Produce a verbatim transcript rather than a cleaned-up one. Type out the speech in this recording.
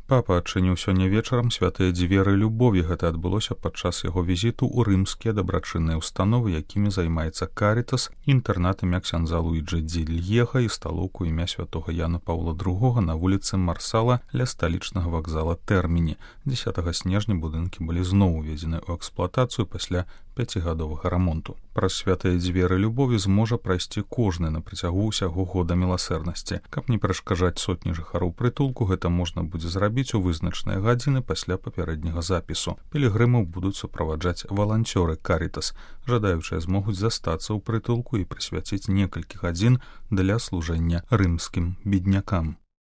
Папа адчыніў сёння вечарам святыя дзверы любові. Гэта адбылося падчас яго візіту ў рымскія дабрачынныя установы, якімі займаецца Карітас, інтэрнат імя ксяндза Луіджы ді Льеха і сталоўку імя святога Яна Паўла другога на вуліцы Марсала ля сталічнага вакзала Тэрміні. дзесятага снежня будынкі былі зноў уведзены ў эксплуатацыю пасля пяцігадовага рамонту. Праз святыя дзверы любові зможа прайсці кожны на працягу ўсяго года міласэрнасці. Каб не перашкаджаць сотні жыхароў прытулку, гэта можна будзе зрабіць у вызначаныя гадзіны пасля папярэдняга запісу. Пілігрымаў будуць суправаджаць валанцёры Карітас. Жадаючыя змогуць застацца ў прытулку і прысвяціць некалькі гадзін для служэння рымскім беднякам.